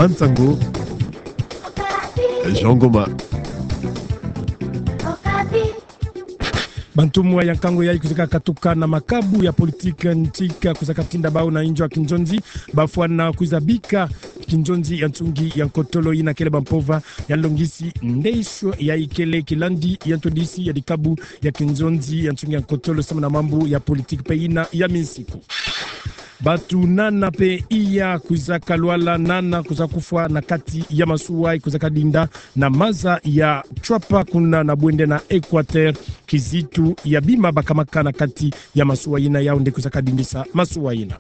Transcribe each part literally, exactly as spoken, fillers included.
Bansango, Jean Ngoma. Bantumwa ya nkangu yayi kwizaka katuka na makabu ya politiki ntika kwizaka tinda bau na inzo ya kinzonzi, bafwana kwiza bika kinzonzi ya nsungi ya nkotolo yina kele bampova ya nlongisi ndesho yayi kele kilandi ya ntwadisi ya dikabu ya kinzonzi ya nsungi ya nkotolo samu na mambu ya politiki mpe yina ya minsiku. Bantu nana mpe iya kwizaka lwala, nana kwiza kufwa na kati ya masuwa yayi kwizaka dinda na maza ya Tshuapa kuna na bwende na Equateur, kizitu ya bima bakamaka na kati ya masuwa yina yau nde kwizaka dindisa masuwa yina.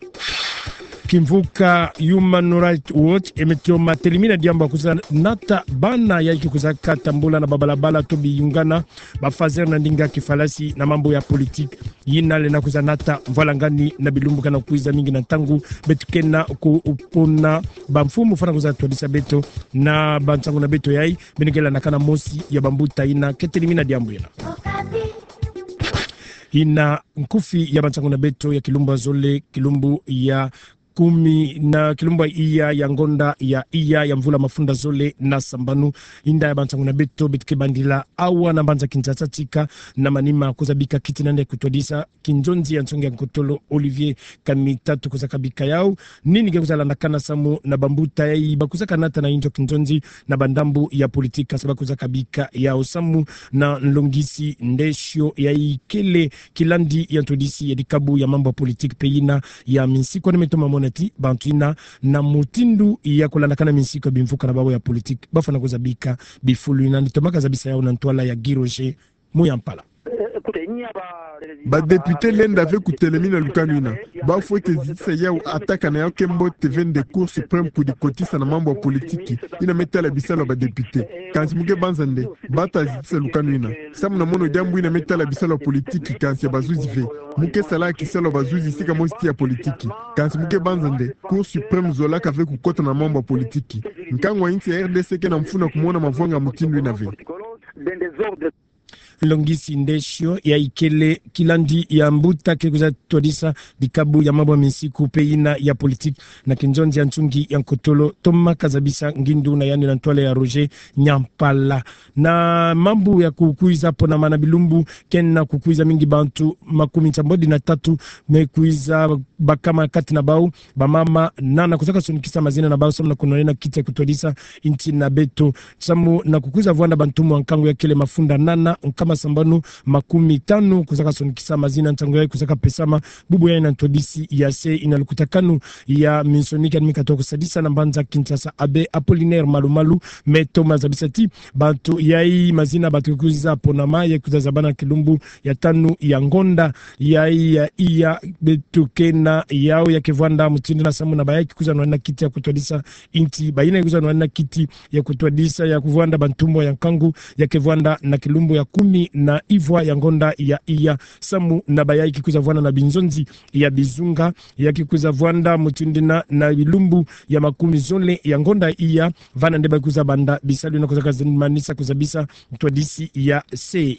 Kimvuka Human Rights Watch e meto matelemina diambu ya kwiza nata bana yayi ke kwizaka tambula na babalabala to biyungana, bafazere na ndinga kifalasi na mambu ya politiki. Yina lenda kwiza nata mvwalangani na bilumbu kana kwiza mingi na ntangu beto kena kupona bamfumu fwana kwiza twadisa beto na bansangu na beto yayi, beno ke landakana mosi ya bambuta yina ke telemina diambu yina. Yina nkufi ya bansangu na beto ya kilumbu ya zole, kilumbu ya kumi na kilumbu ya iya ya ngonda ya iya ya mvula mafunda zole na sambanu. Inda ya bansangu na beto, beto ke bandila awa na mbanza Kinshasa tika na manima kwiza bika kiti nande kutwadisa kinzonzi ya nsonga ya nkotolo Olivier Kamitatu kwizaka bika yau. Nini ke kwiza landakana samu na bambuta yayi bakwizaka nata na inzo kinzonzi na bandambu ya politiki, kansi bakwizaka bika yau samu na nlongisi ndesho yayi kele kilandi ya ntwadisi ya dikabu ya mambu ya politiki mpe yina ya minsiku. Ni meto mamona ti bantu yina na mutindu ya kulandakana minsiku ya bimvuka na babo ya politiki bafwana kwiza bika bifulu yina. Ni toma ka zabisa yau na ntwala ya Guy Roger Muyampala. Badepite lenda ve kutelemina lukanu yina. Bafwete zitisa yau, ata kana yau ke mbote ve nde Cour suprême kudikotisa na mambu ya politiki yina me tala bisalu ya badepite. Kansi mu ke banza nde bata zitisa lukanu yina, samu na mono diambu yina me tala bisalu ya politiki kansi ya bazuzi ve. Mu ke sala kisalu ya bazuzi sika mosi ti ya politiki. Kansi mu ke banza nde Cour suprême zolaka ve kukota na mambu ya politiki. Nkangu wa insi ya R D C ke na mfunu ya kumona mavanga mutindu yina ve. Nlongisi ndesho yayi kele kilandi ya mbuta ke kwiza twadisa dikabu ya mambu ya minsiku mpe yina ya politiki na kinzonzi ya nsungi ya nkotolo, toma ka zabisa ngindu na yandi na ntwala ya Roger Nyampala. Na mambu ya kukwiza ponama na bilumbu kena kukwiza mingi, bantu makumi nsambwadi na tatu me kwiza bakama kati na bau, bamama nana kwizaka sonikisa mazina na bau samu na kunwanina kiti ya kutwadisa insi na beto. Samu na kukwiza vwanda bantumwa ya nkangu ya kele mafunda nana nkama sambanu makumi tanu kwizaka sonikisa mazina, nsangu yayi kwizaka pesama bubu yayi na ntwadisi ya se ina lukutakanu ya minsoni kani mi katoka kusadisa na mbanza Kinshasa, Abbé Apollinaire Malumalu, me toma zabisa ti bantu yayi, mazina bantu kwiza ponama yayi kwiza zabana kilumbu ya tanu ya ngonda yayi ya iya, beto kena yau ya ke vwanda mutindu yina samu na bayayi ke kwiza nwanina kiti ya kutwadisa insi, bayina ke kwiza nwanina kiti ya kutwadisa ya kuvwanda bantumwa ya nkangu ya ke vwanda na kilumbu ya kumi na ivwa ya ngonda ya iya, samu na bayayi ke kwiza vwanda na binzonzi ya bizunga ya ke kwiza vwanda mutindu yina na bilumbu ya makumi zole ya ngonda iya, vana nde ba kwiza banda bisalu yina kwizaka zimanisa kuzabisa ntwadisi ya se.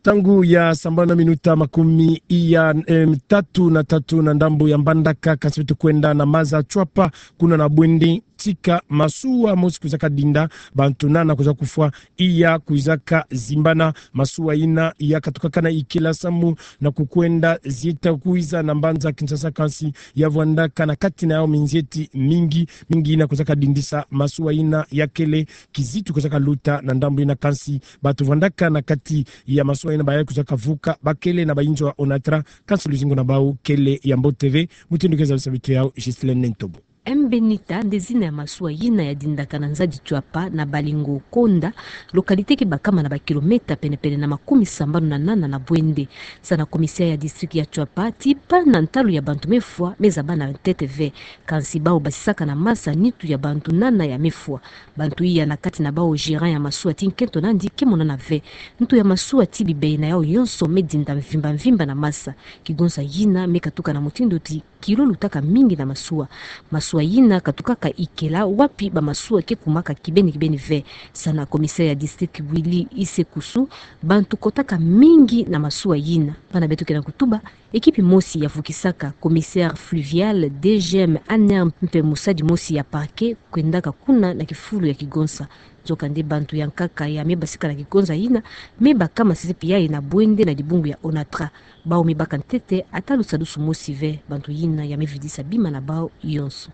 Ntangu ya sambanu na minuta makumi iya, em, tatu na tatu na ndambu ya Mbandaka, kansi beto kwenda na maza Tshuapa, kuna na bwende tika masuwa mosi kwizaka dinda, bantu nana kwiza kufwa, iya kwizaka zimbana. Masuwa yina ya katukaka na ikila samu na kukwenda zieta kwiza na mbanza Kinshasa, kansi ya vwandaka na kati na yau minzieti mingi, mingi yina kwizaka dindisa masuwa yina ya kele kizitu kwizaka luta na ndambu yina, kansi bantu vwandaka na kati ya masuwa yina bayayi kwizaka vuka, ba kele na bayinzo ya Onatra, kansi luzingu na bau kele ya mbote ve. Mutindu ke zabisa beto yau, Ghislaine Ntobo. Mbenita nde zina ya masuwa yina ya dindaka na nzadi Tshuapa na Balingo Konda, localité ke bakama na ba kilomètre penepene na makumi sambanu na nana na bwende. Sa na commissaire ya district ya Tshuapa, ti pana ntalu ya bantu me fwa me zabana ntete ve. Kansi bau basisaka na masa nitu ya bantu nana ya me fwa. Bantu iya, na kati na bau gérant ya masuwa ti nkento nandi, ke monana ve. Ntu ya masuwa ti bibei na yau yonso me dinda mvimba mvimba na masa. Kigonsa yina me katuka na mutindu ti kilo lutaka mingi na masuwa. Masuwa masuwa yina katukaka ikela wapi bamasuwa ke kumaka kibeni kibeni ve. Sana commissaire ya district Willy Isekusu, bantu kotaka mingi na masuwa yina. Bana beto ke na kutuba, ekipi mosi ya vukisaka, commissaire fluvial, D G M, ANR mpe mosadi mosi ya parquet kwendaka kuna na kifulu ya kigonsa. Nzokande bantu ya nkaka ya me basika na kigonsa yina me bakama sisi pia ye na bwende na dibungu ya Onatra. Bawu me baka ntete ata lusadusu mosi ve, bantu yina ya me vidisa bima na bawu yonso.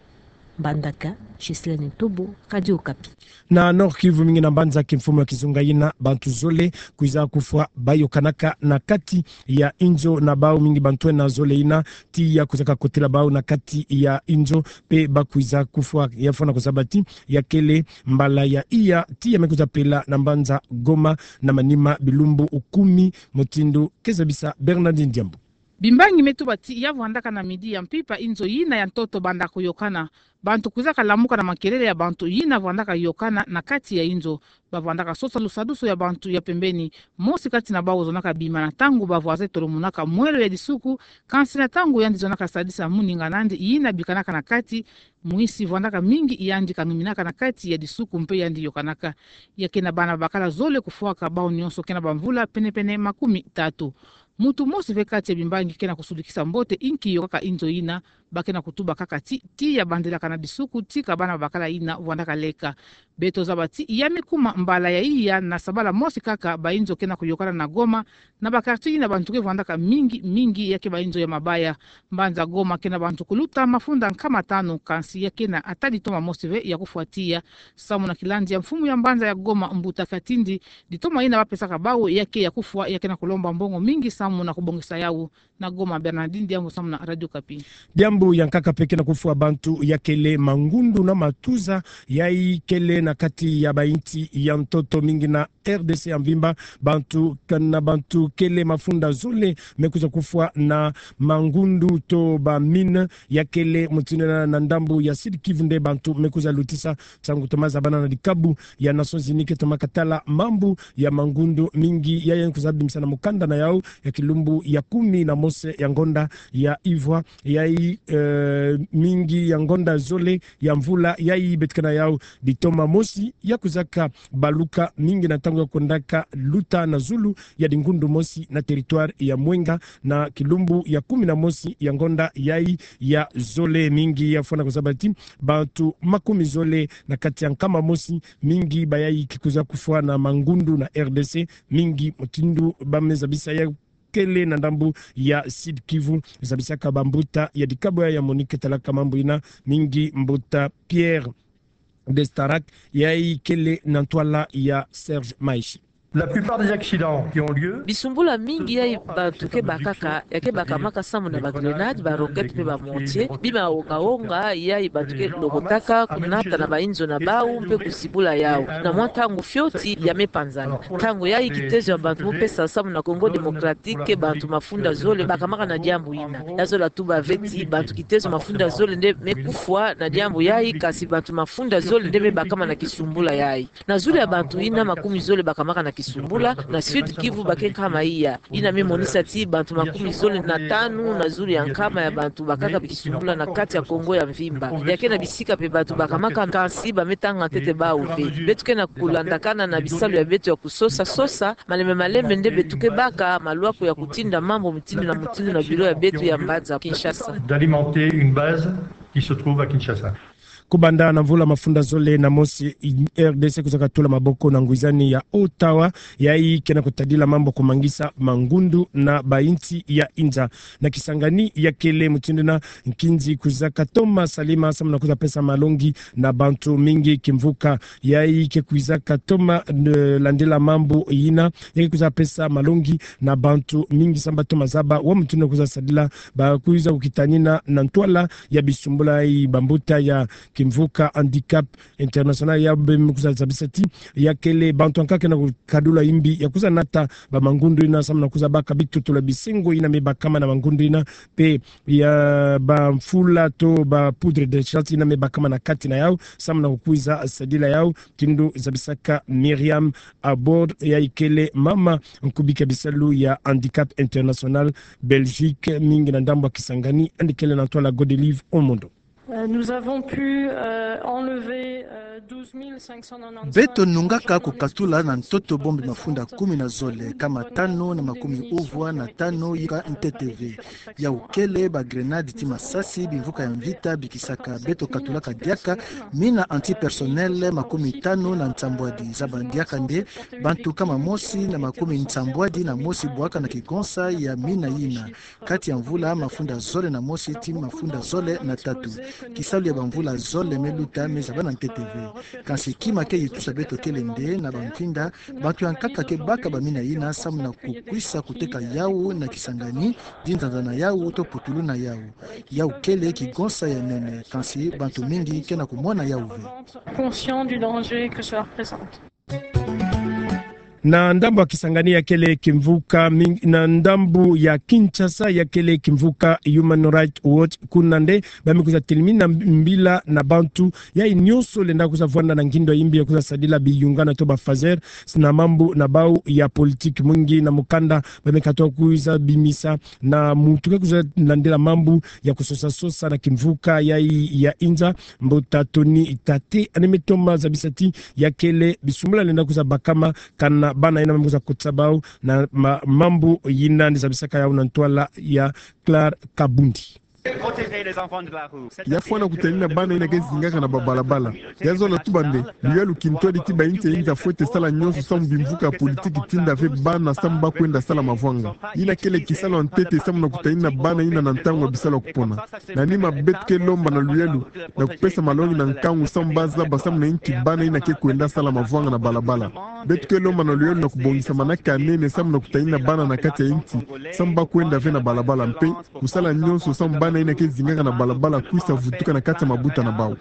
Mbandaka, Ghislaine Ntobo, Radio Okapi. Na Nord-Kivu, mingi na mbanza kimfumu ya kizunga yina, bantu zole kwiza kufwa bayokanaka na kati ya inzo na bawu, mingi bantu ena zole yina tiya kwizaka kotela bawu na kati ya inzo, mpe bakwiza kufwa. Ya fwana kuzaba ti ya kele mbala ya iya tiya me kwiza pela na mbanza Goma na manima bilumbu kumi, mutindu ke zabisa Bernardine Diambu. Bimbangi me tuba ti ya vwandaka na midi ya mpimpa inzo yina ya ntoto banda kuyokana. Bantu kwizaka lamuka na makelele ya bantu yina vwandaka yokana na kati ya inzo. Bavwandaka sosa lusadusu ya bantu ya pembeni. Mosi kati na bawu ozonaka bima na ntangu ba voisins tolomunaka mwelo ya disuku, kansi na ntangu yandi zonaka sadisa muninga na yandi yina bikanaka na kati, mwisi vwandaka mingi, yandi kanuminaka na kati ya disuku mpe yandi yokanaka. Ya ke na bana bakala zole kufwaka, bawu nyonso ke na bamvula penepene makumi tatu. Muntu mosi ve kati ya bimbangi ke na kusudikisa mbote inki yokaka inzo yina. Ba ke na kutuba kaka ti tiya bandelaka na disuku tika bana bakala yina vwandaka leka. Beto zaba ti ya me kuma mbala ya iya na sabala mosi kaka bainzo ke na kuyokana na Goma, na ba quartier yina bantu ke vwandaka mingi mingi ya ke bainzo ya mabaya. Mbanza Goma ke na bantu kuluta mafunda nkama tanu, kansi ya ke na ata ditoma mosi ve ya kufwa tiya. Samu na kilandi ya mfumu ya mbanza ya Goma, Mbuta Katindi, ditoma yina bapesaka bawu ya ke ya kufwa ya ke na kulomba mbongo mingi samu na kubongisa yawu. Na Goma, Bernardine Diambu samu na Radio Okapi. Diambu ya nkaka mpe ke na kufwa bantu ya kele mangundu na matuza, yayi kele na kati ya bainsi ya ntoto mingi na R D C ya mvimba. Bantu ke na, bantu kele mafunda zole me kwiza kufwa na mangundu to ba mine ya kele mutindu yina na ndambu ya Sud-Kivu nde bantu me kwiza lutisa. Ntangu toma zabana na dikabu ya Nations Unies ke toma katala mambu ya mangundu, mingi yayi kwiza bimisa na mukanda na yawu ya kilumbu ya kumi na mosi ya ngonda ya ivwa, yayi, eh, mingi ya ngonda zole ya mvula yayi beto ke na yawu. Ditoma mosi ya kwizaka baluka mingi na ntangu ya kwendaka luta na zulu ya dingundu mosi na territoire ya Mwenga na kilumbu ya kumi na mosi ya ngonda yayi ya zole. Mingi ya fwana kuzaba ti bantu makumi zole na kati ya nkama mosi, mingi bayayi ke kwiza kufwa na mangundu na R D C, mingi mutindu ba me zabisa ya kele na ndambu ya Sud-Kivu. Zabisaka bambuta ya dikabu ya, ya MONUC ke talaka mambu yina, mingi Mbuta Pierre Destarac, yayi kele na ntwala ya Serge Maishi. La plupart des accidents qui ont lieu, bisumbula mingi yayi bantu ke bakaka, ya ke bakamaka samu na ba grenades, ba roquettes mpe ba mortiers, bima onga onga yayi bantu ke lokotaka, kunata na bainzo na bawu mpe kuzibula yawu. Na mwa ntangu fioti ya me panzana. Ntangu yayi kitezo ya bantu mu pesa samu na Congo Démocratique ke bantu mafunda zole bakamaka na diambu yina. Ya zola tuba ve ti bantu kitezo mafunda zole nde me kufwa na diambu yayi, kansi bantu mafunda zole nde me bakama na kisumbula yayi. Na zulu ya bantu yina makumi zole bakamaka na kisumbula, na Sud-Kivu ba ke nkama iya. Yina me monisa ti bantu makumi zole na tanu na zulu ya nkama ya bantu bakaka bikisumbula na kati ya Congo ya mvimba. Ya ke na bisika mpe bantu bakamaka, kansi ba me tanga ntete bawu ve. Beto ke na kulandakana na bisalu ya beto ya kusosa sosa, malembe malembe nde beto ke baka malwaku ya kutinda mambu mutindu na mutindu na bureau ya beto ya mbanza Kinshasa. D'alimenter une base qui se trouve à Kinshasa. Kubanda na mvula mafunda zole na mosi, R D C kwizaka tula maboko na ngwizani ya Ottawa, yayi ke na kutadila mambu kumangisa mangundu na bainsi ya inza. Na Kisangani ya kele mutindu yina, nkinzi kwizaka toma salima samu na kwiza pesa malongi na bantu mingi kimvuka. Yayi ke kwizaka toma, eh, landila mambu yina, ya ke kwiza pesa malongi na bantu mingi samu ba toma zaba wa mutindu kwiza sadila, ba kwiza kukitanina na ntwala ya bisumbula yayi. Bambuta ya Kimvuka Handicap International ya be me kwiza zabisa ti ya kele bantu ankaka ke na kukadula imbi ya kwiza nata ba mangundu yina samu na kwiza baka bitutu ya bisengo yina me bakama na mangundu yina, mpe ya bamfula to ba poudre de chasse yina me bakama na kati na yawu samu na kukwiza sadila yawu, mutindu zabisaka Myriam Abord, yayi kele mama nkubiki ya bisalu ya Handicap International Belgique, mingi na ndambu ya Kisangani, yandi kele na ntwala Godelive Omondo. Euh, nous avons pu, euh, enlever, euh, douze mille cinq cent quatre-vingt-quinze. Beto nungaka kukatula na ntoto bombi mafunda kumi na zole, kama tano na makumia uvwa na tano ya ntete ve. Yau kele ba grenade ti masasi bimvuka ya mvita bikisaka. Beto katulaka diaka mina anti-personnel makumi tano na nsambwadi. Zabana diaka nde bantu kama mosi na makumi nsambwadi na mosi bwaka na kigonsa ya mina yina, kati ya mvula mafunda zole na mosi ti mafunda zole na tatu. Kisalu ya bamvula zole me luta me zabana ntete ve. Kansi kima ke yitusa beto kele nde na bampinda, bantu ya nkaka ke baka bamina yina samu na kukwisa kuteka yau na Kisangani, di nzanza na yau to putulu na yau. Yau kele kigonsa ya nene, kansi bantu mingi ke na kumona yau ve. Conscient du danger que cela représente. Na ndambu ya Kisangani ya kele kimvuka ming-, na ndambu ya Kinshasa ya kele kimvuka Human Rights Watch, kuna nde ba me kwiza telimina mbila na bantu yayi nyonso lenda kwiza vwanda na ngindo ya imbi ya kwiza sadila biyungana to ba phaser, na mambu na bau ya politiki. Mwingi na mukanda ba me katuka kwiza bimisa na muntu ke kwiza landila mambu ya kusosa-sosa na kimvuka yayi ya inza, mbuta Tony Tate, yandi me toma zabisa ti ya kele bisumbula lenda kwiza bakama kana bana yina ba me kwiza kotisa bau na ma-, mambu yina. Yandi zabisaka yau na ntwala ya Claire Kabundi. Ya fwana kutalina bana yina ke zingaka na babalabala. Ya zola tuba nde luyalu kintwadi ti ba insi ya inza fwete sala nyonso samu bimvuka ya politiki tinda ve bana samu ba kwenda sala mavwanga. Yina kele kisalu ya ntete samu na kutalina bana yina na ntangu ya bisalu ya kupona. Na nima beto ke lomba na luyalu na kupesa malongi na nkangu samu ba zaba samu na inki bana yina ke kwenda sala mavwanga na balabala. Beto ke lomba na luyalu na kubongisa manaka ya nene samu na kutalina bana na kati ya insi samu ba kwenda ve na balabala mpe kusala nyonso samu bana yina ke zingaka na balabala kwisa vutuka na kati ya mabuta na bau.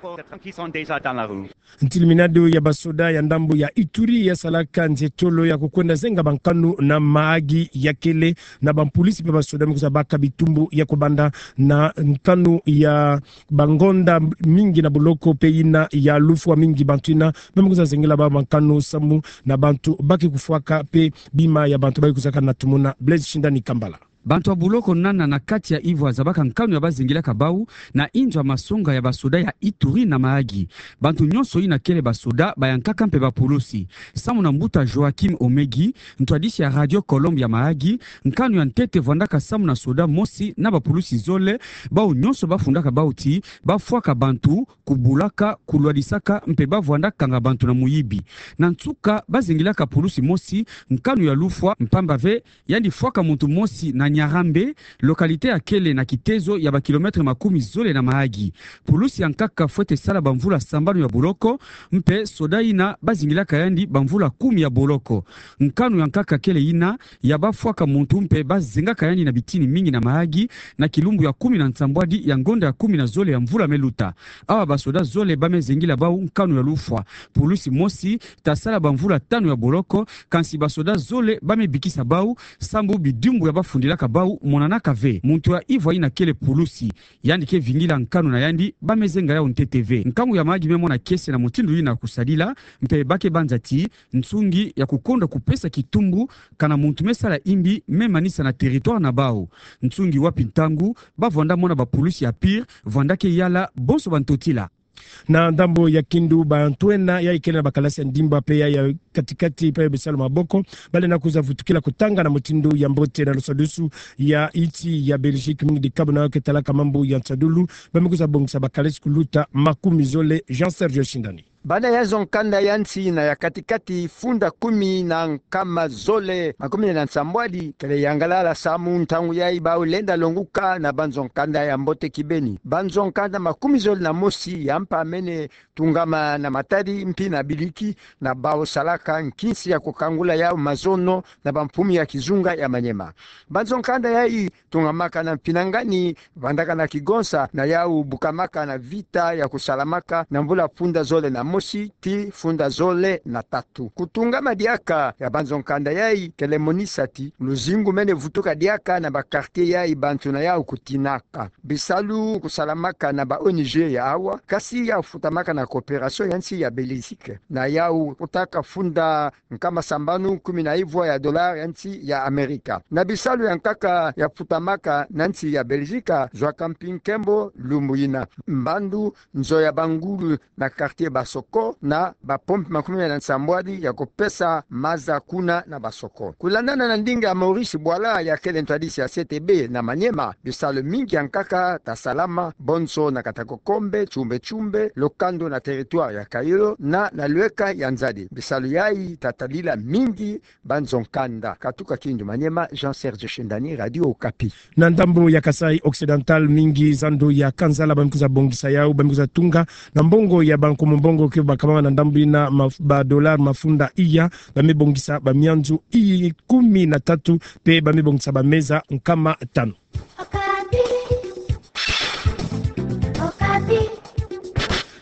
Ntiliminado ya basoda ya ndambu ya Ituri ya salaka nzietolo ya kukwenda zenga bankanu na Mahagi ya kele na bampulisi mpe basoda me kwiza baka bitumbu ya kubanda na nkanu ya bangonda mingi na boloko mpe yina ya lufwa mingi. Bantu yina ba me kwiza zengela bau bankanu samu na bantu ba ke kufwaka mpe bima ya bantu ba ke kwizaka na tumuna. Blaise Shindani Kambala. Bantu ya boloko nana na kati ya Ivwa zabaka nkanu ya ba zengelaka bau na inzo ya masonga ya basoda ya Ituri na Mahagi. Bantu nyonso yina kele basoda, bayankaka mpe bapulusi. Samu na mbuta Joachim Omegi, ntwadisi ya Radio Colombia Mahagi, nkanu ya ntete vwandaka samu na soda mosi na bapulusi zole, bau nyonso ba fundaka bau ti ba fwaka bantu, kubulaka, kulwadisaka mpe ba vwanda kanga bantu na muyibi. Na nsuka ba zengelaka pulusi mosi nkanu ya lufwa mpamba ve yandi fwaka muntu mosi na Nyarambe, localité ya kele na kitezo ya ba kilomètre makumi zole na Mahagi. Pulusi ya nkaka fwete sala bamvula sambanu ya boloko, mpe soda yina ba zingilaka yandi bamvula kumi ya boloko. Nkanu ya nkaka kele yina ya ba fwaka muntu mpe ba zengaka yandi na bitini mingi na Mahagi, na kilumbu ya kumi na nsambwadi ya ngonda ya kumi na zole ya mvula me luta. Awa basoda zole ba me zengila bau nkanu ya lufwa. Pulusi mosi ta sala bamvula tanu ya boloko, kansi basoda zole ba me bikisa bau, sambu bidimbu ya ba fundilaka bau monanaka ve. Muntu ya Ivwa yina kele pulusi, yandi ke vingila nkanu na yandi ba me zenga yau ntete ve. Nkangu ya Mahagi me mona kiese na mutindu yina kusadila, mpe ba ke banza ti nsungi ya kukonda kupesa kitumbu kana muntu me sala imbi me manisa na territoire na bau. Nsungi wapi ntangu ba vwanda mona bapulusi ya pire vwanda ke yala bonso bantotila. Na ndambu ya Kindu, bantwenya ya ikele na bakalasi ya ndimba mpe ya, ya kati-kati mpe ya bisalu maboko, ba lenda kwiza vutukila kutanga na mutindu ya mbote na lusadusu ya insi ya Belgique, mingi dikabu na yo ke talaka mambu ya nsadulu, ba me kwiza bongisa bakalasi kuluta makumi zole. Jean Serge Shindani. Banda ya nzo nkanda ya nsi na ya kati-kati funda kumi na nkama zole makumi na nsambwadi kele yangalala samu ntangu yayi bau lenda longuka na banzo nkanda ya mbote kibeni. Banzo nkanda makumi zole na mosi ya mpamene tungama na matadi mpi na biliki, na bau salaka nkinsi ya kukangula yau mazono na bampumi ya kizunga ya Maniema. Banzo nkanda yayi tungamaka na mpinangani, vandaka na kigonsa, na yau bukamaka na vita ya kusalamaka na mvula funda zole na mosi tii funda zole na tatu. Kutungama diaka ya banzo nkanda yai kele monisaki, luzingu mene vutuka diaka na ba quartier yai bantu na yau kutinaka. Bisalu kusalamaka na ba O N G ya awa, kasi yau futamaka na coopération ya nsi ya Belgique. Na yau kutaka funda nkama sambanu kumi na ivua ya dollar ya nsi ya Amerika. Na bisalu ya nkaka ya futamaka na nsi ya Belgique, zua kampi nkembo lumbu ina. Mbandu, nzo ya bangulu na quartier Basoko, na ba pompe makumi na nsambwadi ya kupesa maza kuna na Basoko. Kulandana na ndinga ya Maurice Bwala ya kele ntwadisi ya C T B na Maniema, bisalu mingi ya nkaka ta salama, bonso na Katakokombe, Chumbe Chumbe, Lokando na territoire ya Kaïlo, na na Lueka ya Nzadi. Bisalu yai ta tadila mingi banzo nkanda. Katuka Kindu Maniema, Jean Serge Shendani, Radio Okapi. Na ndambu ya Kasaï Occidental, mingi zandu ya Kansala bambi kwiza bongisa yau, bambi kwiza tunga na mbongo ya bankumu mbongo ke bakabama na ndambu ina maf-, ba dollar mafunda iya, bamibongisa ba mianzu i kumi na tatu, pe bamibongisa ba meza nkama tanu.